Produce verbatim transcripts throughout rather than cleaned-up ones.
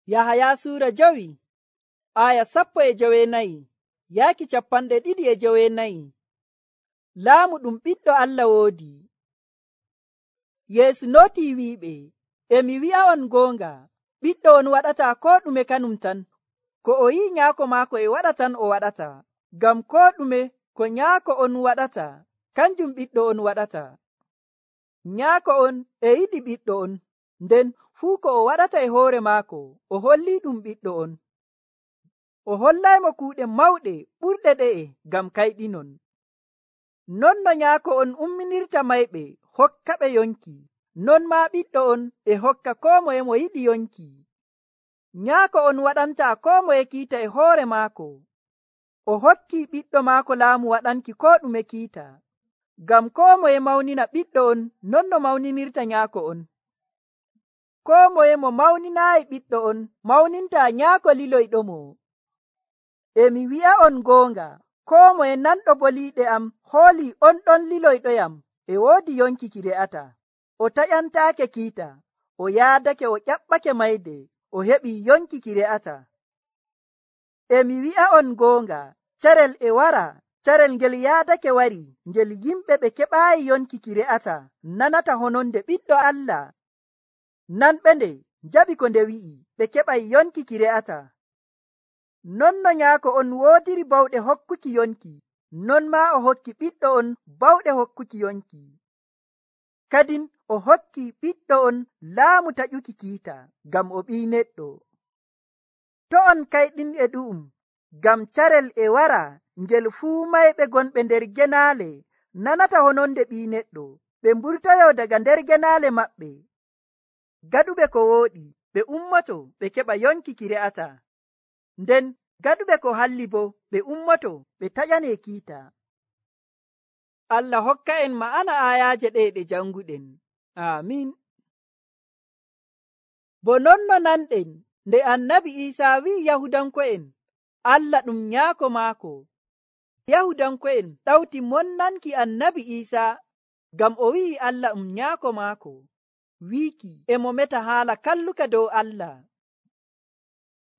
Yahaya suura jowi aya sappo e jowenayi yaaki capanɗe ɗiɗi e jowenayi. Laamu ɗum ɓiɗɗo Allah woodi. Yeesu notii wi'iɓe, e mi wi'a'on goonga, ɓiɗɗo on waɗata koo ɗume kanum tan. Ko o yi'i nyaako maako e waɗa tan o waɗata, ngam koo ɗume ko nyaako on waɗata kanjum ɓiɗɗo on waɗata. Nyaako on e yiɗi ɓiɗɗo on, nden fuu ko o waɗata e hoore maako o hollii ɗum ɓiɗɗo on. O hollaymo kuuɗe mawɗe ɓurɗe ɗe'e ngam kayɗinon. Non no nyaako on umminirta mayɓe hokkaɓe yonki, non maa ɓiɗɗo on e hokka koo moye mo yiɗi yonki. Nyaako on waɗantaa koo moye kiita e hoore maako. O hokki ɓiɗɗo maako laamu waɗanki koo ɗume kiita, ngam koo moye mawnina ɓiɗɗo on non no mawninirta nyaako on. Koo moye mo mawninaayi ɓiɗɗo on mawnintaa nyaako liloyɗomo. E mi wi'a'on goonga, koo moye nanɗo boliiɗe am hoolii on ɗon liloyɗoyam e woodi yonki ki re'ata. O taƴantaake kiita, o yaadake o ƴaɓɓake mayde, o heɓii yonki ki re'ata. E mi wi'a'on goonga, carel e wara, carel ngel yaadake wari, ngel yimɓe ɓe keɓaayi yonki ki re'ata nanata hononde ɓiɗɗo Allah. Nanɓe nde njaɓi ko nde wi'i, ɓe keɓay yonki ki re'ata. Non no nyaako on woodiri bawɗe hokkuki yonki, non maa o hokki ɓiɗɗo on bawɗe hokkuki yonki. Kadin o hokki ɓiɗɗo on laamu taƴuki kiita, ngam o ɓii neɗɗo. To on kayɗin e ɗu'um, ngam carel e wara ngel fuu mayɓe gonɓe nder genaale nanata hononde ɓii neɗɗo, ɓe mburtoyo daga nder genaale maɓɓe. Gaɗuɓe ko wooɗi, ɓe ummoto ɓe keɓa yonki ki re'ata. Nden gaɗuɓe ko halli bo, ɓe ummoto ɓe taƴane kiita. Allah hokka en ma'ana ayaaje ɗe ɗe janguɗen. Aamin. Bo non no nanɗen nde annabi Iisaa wi'i Yahudanko'en Allah ɗum nyaako maako. Yahudanko'en ɗawti monnanki annabi Iisaa ngam o wi'i Allah ɗum nyaako maako, wiiki e mo meta haala kalluka dow Allah.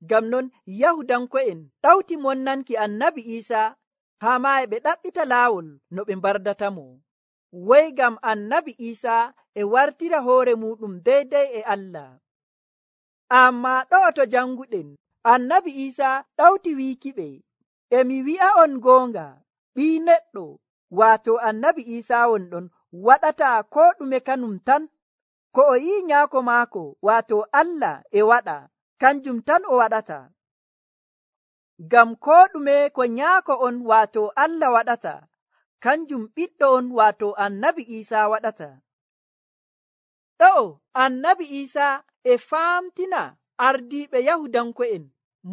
Ngam non Yahudanko'en ɗawti monnanki annabi Iisaa haa maa e ɓe ɗaɓɓita laawol no ɓe mbardatamo, woy ngam annabi Iisaa e wartira hoore muɗum deydey e Allah. Ammaa ɗo'o to janguɗen, annabi Iisaa ɗawti wiikiɓe, e mi wi'a'on goonga, ɓii neɗɗo waato annabi Iisaa wonɗon waɗataa koo ɗume kanum tan. Ko o yi'i nyaako maako waato Allah e waɗa, kanjum tan o waɗata. Ngam koo ɗume ko nyaako on waato Allah waɗata, kanjum ɓiɗɗo on waato annabi Iisaa waɗata. Ɗo'o annabi Iisaa e faamtina ardiiɓe Yahudanko'en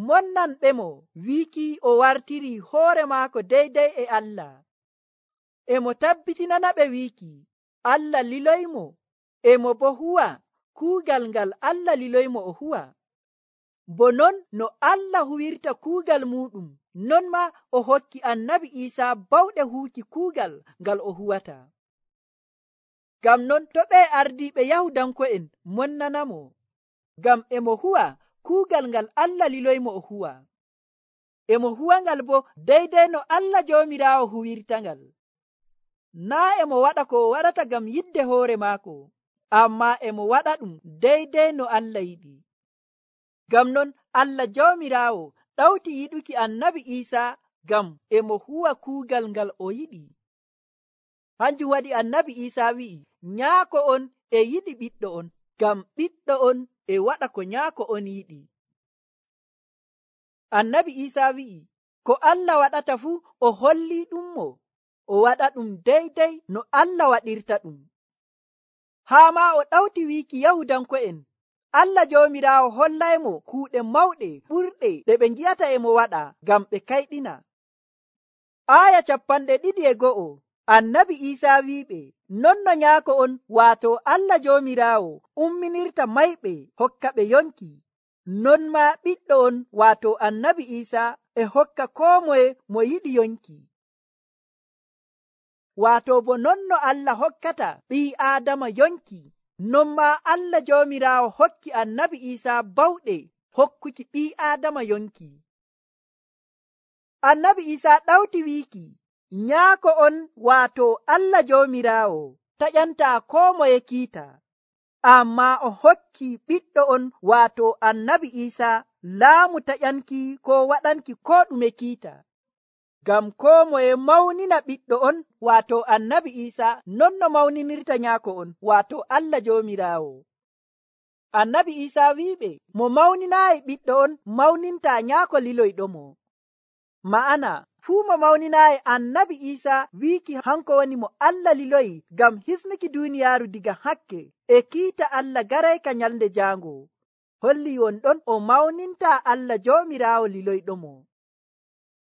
monnanɓemo wiiki o wartiri hoore maako deydey e Allah. E mo tabbitinanaɓe wiiki Allah liloymo, e mo bo huwa kuugal ngal Allah liloymo o huwa. Bo non no Allah huwirta kuugal muɗum, non ma o hokki annabi Iisaa bawɗe huuki kuugal ngal o huwata. Ngam non to ɓe ardiiɓe Yahudanko'en monnanamo, ngam e mo huwa kuugal ngal Allah liloymo o huwa. E mo huwa ngal bo deydey no Allah Joomiraawo huwirta ngal. Naa e mo waɗa ko o waɗata ngam yidde hoore maako, ammaa e mo waɗa ɗum deydey no Allah yiɗi. Ngam non Allah Joomiraawo ɗawti yiɗuki annabi Iisaa ngam e mo huwa kuugal ngal o yiɗi. Hanjum waɗi annabi Iisaa wi'i, nyaako on e yiɗi ɓiɗɗo on, ngam ɓiɗɗo on e waɗa ko nyaako on yiɗi. Annabi Iisaa wi'i, ko Allah waɗata fuu o hollii ɗummo, o waɗa ɗum deydey no Allah waɗirta ɗum. Haa maa o ɗawti wiiki Yahudanko'en, Allah Joomiraawo hollaymo kuuɗe mawɗe ɓurɗe ɗe ɓe ngi'ata e mo waɗa ngam ɓe kayɗina. Aaya capanɗe ɗiɗi e go'o, annabi Iisaa wi'iɓe, non no nyaako on waato Allah Joomiraawo umminirta mayɓe hokka ɓe yonki, non maa ɓiɗɗo on waato annabi Iisaa e hokka koo moye mo yiɗi yonki. Waato bo non no Allah hokkata ɓii Aadama yonki, non maa Allah Joomiraawo hokki annabi Iisaa bawɗe hokkuki ɓii aadama yonki. Annabi Iisaa ɗawti wiiki nyaako on waato Allah Joomiraawo taƴantaa koo moye kiita, ammaa o hokki ɓiɗɗo on waato annabi Iisaa laamu taƴanki koo waɗanki koo ɗume kiita. Ngam koo moye mawnina ɓiɗɗo on waato annabi Iisaa non no mawninirta nyaako on waato Allah Joomiraawo. Annabi Iisaa wiiɓe mo mawninaayi ɓiɗɗo on mawnintaa nyaako liloyɗomo. Ma'ana fuu mo mawninaayi annabi Iisaa wiiki hanko woni mo Allah liloyi ngam hisnuki duuniyaaru diga hakke e kiita Allah garayka nyalnde jaango, holli wonɗon o mawnintaa Allah Joomiraawo liloyɗomo.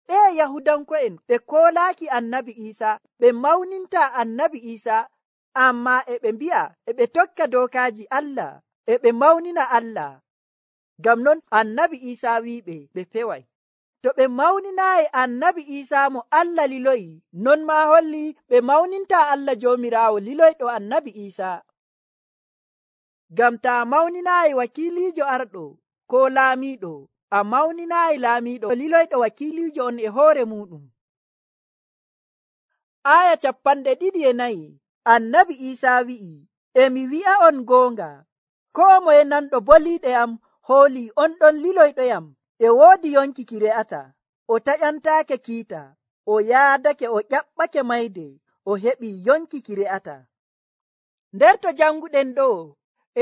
E Yahudanko'en ɓe koolaaki annabi Iisaa ɓe mawnintaa annabi Iisaa, ammaa e ɓe mbi'a e ɓe tokka dookaaji Allah e ɓe mawnina Allah. Ngam non annabi Iisaa wiiɓe ɓe peway. To ɓe mawninaayi annabi Iisaa mo Allah liloyi, non maa holli ɓe mawnintaa Allah Joomiraawo liloyɗo annabi Iisaa. Ngam taa mawninaayi wakiiliijo arɗo koo laamiiɗo, a mawninaayi laamiiɗo liloyɗo wakiiliijo on e hoore muuɗum. Aya capanɗe ɗiɗi e nayi annabi Iisaa wi'i, e mi wi'a on goonga, koo moye nanɗo boliiɗe am hoolii on ɗon liloyɗoyam e woodi yonki ki re'ata, o taƴantaake kiita, o yaadake o ƴaɓɓake mayde, o heɓii yonki ki re'ata. Nder to janguɗen ɗo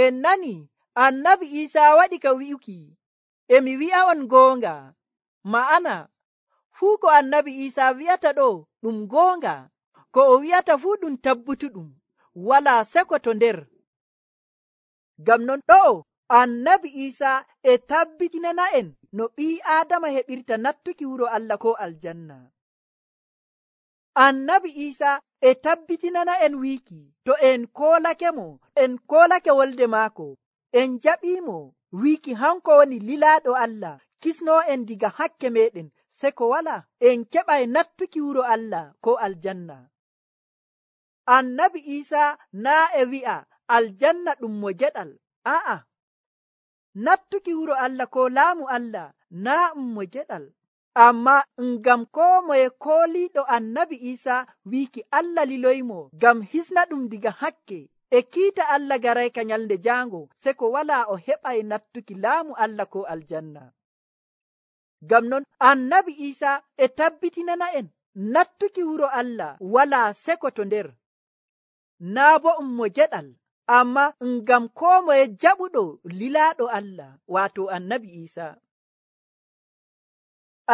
en nani annabi Iisaa waɗi ka wi'uki e mi wi'a on goonga. Ma'ana fuu ko annabi Iisaa wi'ata ɗo ɗum goonga, ko o wi'ata fuu ɗum tabbutuɗum, walaa seko to nder. Ngam non ɗo annabi Iisaa e tabbitinana en no ɓii aadama heɓirta nattuki wuro Allah ko aljanna. Annabi Iisaa e tabbitinana en wiiki to en koolake mo, en koolake wolde maako, en jaɓiimo wiiki hanko woni lilaaɗo Allah kisnoo en diga hakke meɗen, seko wala en keɓay nattuki wuro Allah ko aljanna. Annabi Iisaa naa e wi'a aljanna ɗum mo jeɗal, a'a, nattuki wuro Allah ko laamu Allah naa ɗum mo jeɗal, amma ngam koo moye kooliiɗo annabi Iisaa wiiki Allah liloymo ngam hisna ɗum diga hakke e kiita Allah garayka nyalnde jaango, seko walaa o heɓay nattuki laamu Allah ko aljanna. Ngam non annabi Iisaa e tabbitinana en nattuki wuro Allah walaa seko to nder, naa bo um mo jeɗal, amma ngam koo moye jaɓuɗo lilaaɗo Allah waato annabi Iisaa.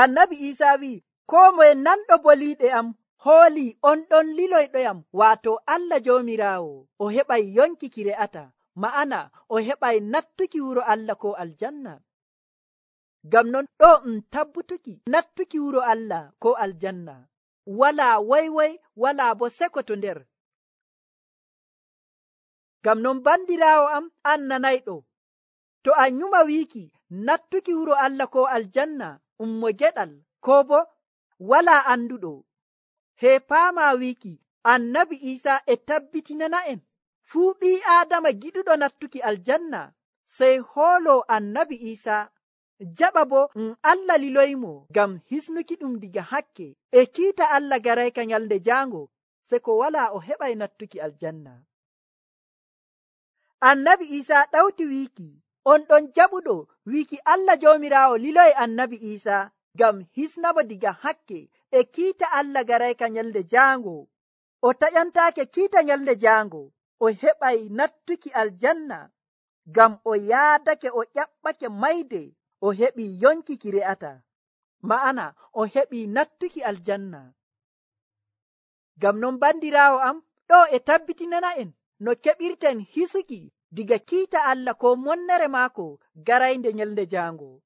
Annabi Iisaa wi'i koo moye nanɗo boliiɗe am hoolii on ɗon liloyɗoyam waato Allah Joomiraawo, o heɓay yonki ki re'ata, ma'ana o heɓay nattuki wuro Allah ko aljanna. Ngam non ɗo um tabbutuki nattuki wuro Allah ko aljanna, walaa woywoy walaa bo seko to nder. Ngam non bandiraawo am an nanayɗo, to a nyuma wiiki nattuki wuro Allah ko aljanna um mo geɗal ko bo walaa anduɗo, he paama wiiki annabi Iisaa e tabbitinana en fuu ɓii aadama giɗuɗo nattuki aljanna sey hoolo annabi Iisaa, jaɓa bo um Allah liloymo ngam hisnuki ɗum diga hakke e kiita Allah garayka nyalnde jaango, seko walaa o heɓay nattuki aljanna. Annabi Iisaa ɗawti wiiki on ɗon jaɓuɗo wiiki Allah Joomiraawo liloy annabi Iisaa ngam hisnamo diga hakke e kiita Allah garayka nyalnde jaango, o taƴantaake kiita nyalnde jaango, o heɓay nattuki aljanna ngam o yaadake o ƴaɓɓake mayde, o heɓii yonki ki re'ata, ma'ana o heɓii nattuki aljanna. Ngam non bandiraawo am, ɗo e tabbitinana en no keɓirten hisuki diga kiita Allah ko monnere maako garaynde nyalnde jaango.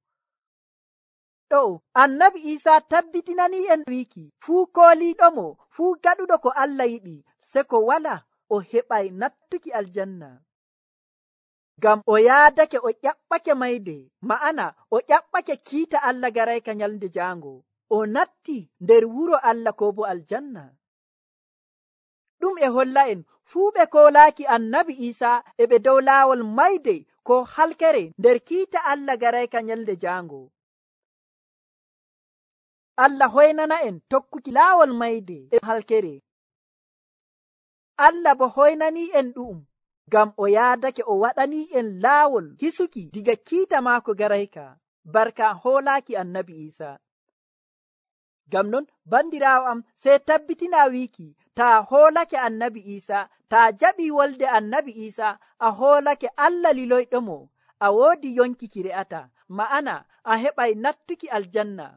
Ɗo annabi Iisaa tabbitinani en wiiki fuu kooliiɗomo, fuu gaɗuɗo ko Allah yiɗi, seko wala o heɓay nattuki aljanna. Ngam o yaadake o ƴaɓɓake mayde, ma'ana o ƴaɓɓake kiita Allah garayka nyalnde jaango, o natti nder wuro Allah ko bo aljanna. Ɗum e holla en fuu ɓe koolaaki annabi Iisaa e ɓe dow laawol mayde ko halkere nder kiita Allah garayka nyalde jaango. Allah hoynana en tokkuki laawol mayde e halkere. Allah bo hoynani en ɗu'um ngam o yaadake o waɗani en laawol hisuki diga kiita maako garayka barka hoolaaki annabi Isa. Ngam non bandiraawo am sey tabbitina wiiki taa hoolake annabi Isa, taa jaɓi wolde annabi Isa, a hoolake Allah liloyɗomo, a woodi yonki ki re'ata, ma'ana a heɓay nattuki aljanna.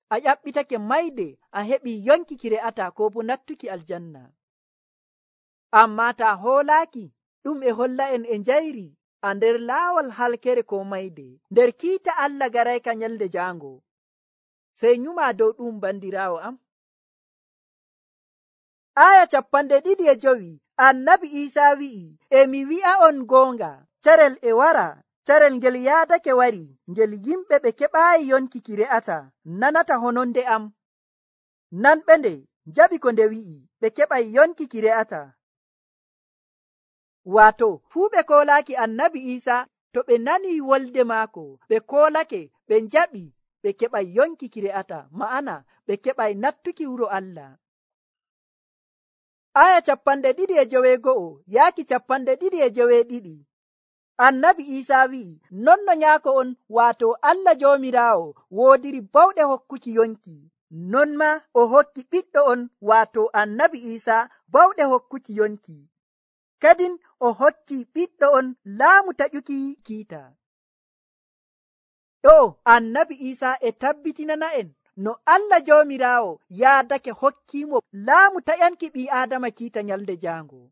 A ƴaɓɓitake mayde a heɓi yonki ki re'ata ko bo nattuki aljanna. Amma taa hoolaaki ɗum e holla en e njayri a nder laawol halkere ko mayde nder kiita Allah garayka nyalde jaango. Sey nyuma dow ɗum bandiraawo am. Aya cappanɗe ɗiɗi e jowi annabi Isa wi'i, e mi wi'a on goonga, carel e wara, carel ngel yaadake wari, ngel yimɓe ɓe keɓaayi yonki ki re'ata nanata hononde am. Nanɓe nde jaɓi ko nde wi'i, ɓe keɓay yonki ki re'ata. Waato fuu ɓe koolaaki annabi Isa, to ɓe nani wolde maako, ɓe koolake, ɓe njaɓi, ɓe keɓay yonki ki re'ata, ma'ana ɓe keɓay nattuki wuro Allah. Aya cappanɗe ɗiɗi e joweego'o yaaki cappanɗe ɗiɗi e joweeɗiɗi. Annabi Isa wi'i, non no nyaako on, waato Allah Joomiraawo woodiri bawɗe hokkuki yonki, non ma o hokki ɓiɗɗo on, waato annabi Isa bawɗe hokkuki yonki. Kadin o hokki ɓiɗɗo on laamu taƴuki kiita. Ɗo annabi Isa e tabbitinana en no Allah Joomiraawo yaadake hokkiimo laamu taƴanki ɓii Aadama kiita nyalde jaango.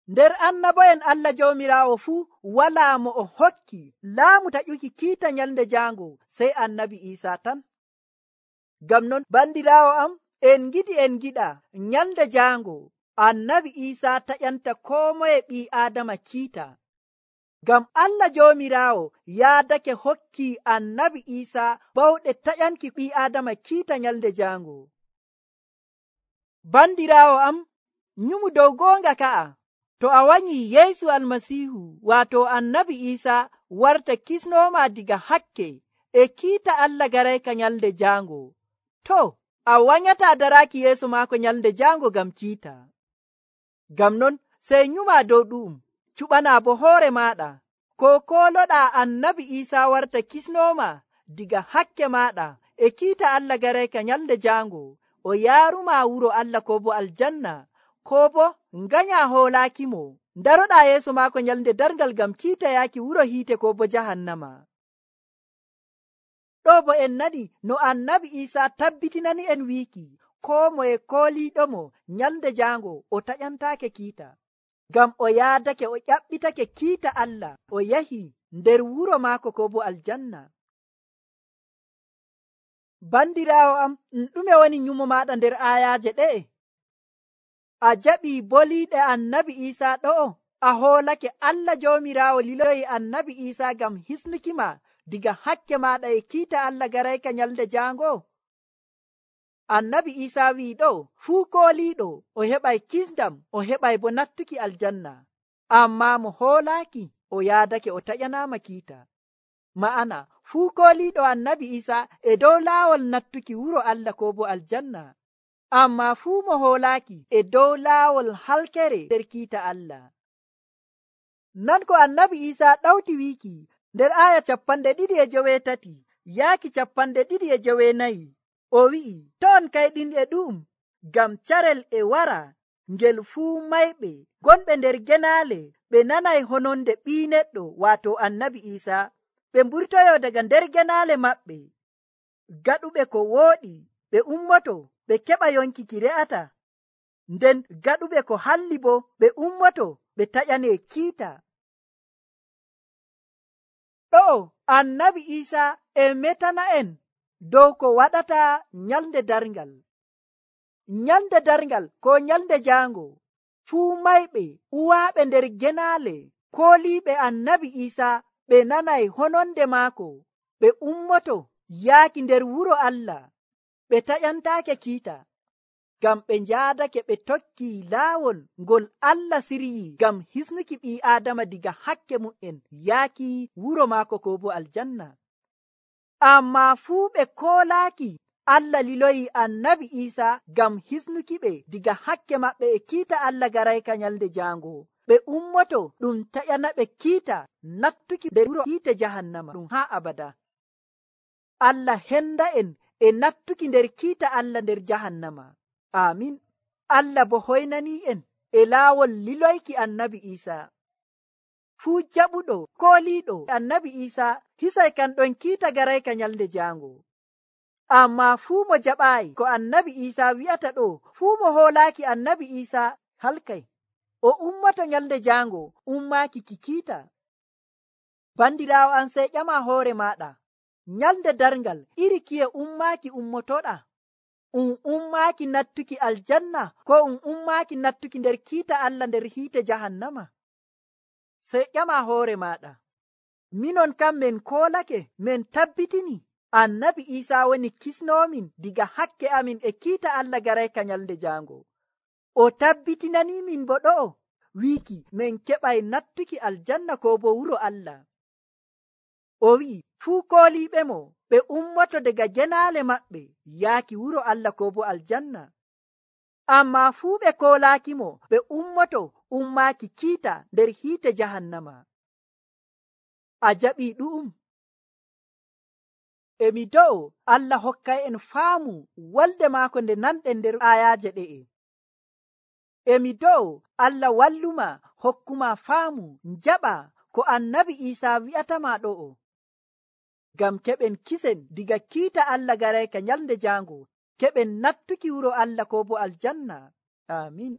Nder annabo'en Allah Joomiraawo fuu walaa mo o hokki laamu taƴuki kiita nyalde jaango sey annabi Isa tan. Ngam non bandiraawo am, en ngidi en giɗa nyalde jaango annabi Isa taƴanta koo moye ɓii Aadama kiita. Ngam Allah Joomiraawo yaadake hokki annabi Isa bawɗe taƴanki ɓii Aadama kiita nyalde jaango. Bandiraawo am, nyumu dow goonga ka'a, to a wanyi Yeesu Almasiihu waato annabi Isa warta kisnooma diga hakke e kiita Allah garayka nyalde jaango, to a wanyataa daraaki yeeso maako nyalde jaango ngam kiita. Ngam non sey nyuma dow ɗu'um, cuɓanaa bo hoore maaɗa, ko kooloɗaa annabi Isa warta kisnooma diga hakke maaɗa e kiita Allah garayka nyalde jaango, o yaaruma wuro Allah ko bo aljanna, ko bo nganya hoolaakimo, daroɗaa yeeso maako nyalde dargal ngam kiita yaaki wuro hiite ko bo jahannama. Ɗo bo en nani no annabi Isa tabbitinani en wiiki, koo moye kooliiɗomo nyalde jaango o taƴantaake kiita, ngam o yaadake o ƴaɓɓitake kiita Allah, o yahi nder wuro maako ko bo aljanna. Bandiraawo am, ɗume woni nyumo maaɗa nder ayaaje ɗe'e? A jaɓii boliiɗe annabi Isa ɗo'o, a hoolake Allah Joomiraawo liloyi annabi Isa ngam hisnukima diga hakke maaɗa e kiita Allah garayka nyalde jaango. Annabi Isa wi'i ɗo, fuu kooliiɗo o heɓay kisdam, o heɓay bo nattuki aljanna, amma mo hoolaaki o yaadake o taƴanaama kiita. Ma'ana fuu kooliiɗo annabi Isa e dow laawol nattuki wuro Allah ko bo aljanna, amma fuu mo hoolaaki e dow laawol halkere nder kiita Allah. Non ko annabi Isa ɗawti wiiki nder aya cappanɗe ɗiɗi e joweetati yaaki cappanɗe ɗiɗi e joweenayi, o wi'i, ton kayɗinɗe ɗum, ngam carel e wara ngel fuu mayɓe gonɓe nder genaale ɓe nanay hononde ɓii neɗɗo waato annabi Isa, ɓe mburtoyo daga nder genaale maɓɓe, gaɗuɓe ko wooɗi ɓe ummoto ɓe keɓa yonki ki re'ata, nden gaɗuɓe ko halli bo ɓe ummoto ɓe taƴane kiita. Ɗo annabi Isa e metana en dow ko waɗata nyalde darngal. Nyalde darngal ko nyalde jaango, fuu mayɓe uwaaɓe nder genaale kooliiɓe annabi Isa ɓe nanay hononde maako, ɓe ummoto yaaki nder wuro Allah, ɓe taƴantaake kiita. ngam ɓe njaadake ɓe tokki laawol ngol Allah siryi ngam hisnuki ɓii Aadama diga hakke mu'en yaaki wuro maako ko bo aljanna. Ammaa fuu ɓe koolaaki Allah liloyi annabi Iisa ngam hisnuki ɓe diga hakke maɓɓe e kiita Allah garayka nyalde jaango. Ɓe ummoto ɗum taƴana ɓe kiita nattuki nder wuro hiite jahannama ɗum haa abada. Allah henda en e nattuki nder kiita Allah nder jahannama. Amin. Allah bo hoynani en e laawol liloyki annabi Iisa. Fuu jaɓuɗo kooliiɗo annabi Iisa hisay kan ɗon kiita garayka nyalde jaango. Ammaa fuu mo jaɓaayi ko annabi Iisa wi'ata ɗo, fuu mo hoolaaki annabi Iisa halkay. O ummoto nyalde jaango ummaaki ki kiita. Bandiraawo an sey ƴama hoore maaɗa, nyalde darngal iri kiye ummaaki ummotoɗa? Um ummaaki nattuki aljanna ko um ummaaki nattuki nder kiita Allah nder hiite jahannama? Sey ƴama hoore maaɗa. Minon kam men koolake men tabbitini annabi Iisa woni kisnomin diga hakke amin e kiita Allah garayka nyalde jaango. O tabbitinanimin bo ɗo'o wiiki men keɓay nattuki aljanna ko bo wuro Allah. O wi'i fuu kooliiɓe mo ɓe ummoto daga genaale maɓɓe yaaki wuro Allah ko bo aljanna. Ammaa fuu ɓe koolaaki mo ɓe ummoto ummaaki kiita nder hiite jahannama. A jaɓii ɗu'um. Emi do'o Allah hokkay en faamu walde maako nde nanɗen nder ayaaje ɗe'e. Emi do'o Allah walluma hokkuma faamu njaɓa ko annabi Iisa wi'atama ɗo'o. Ngam keɓen kisen diga kiita Allah garayka nyalde jaango, keɓen nattuki wuro Allah ko bo aljanna. Amin.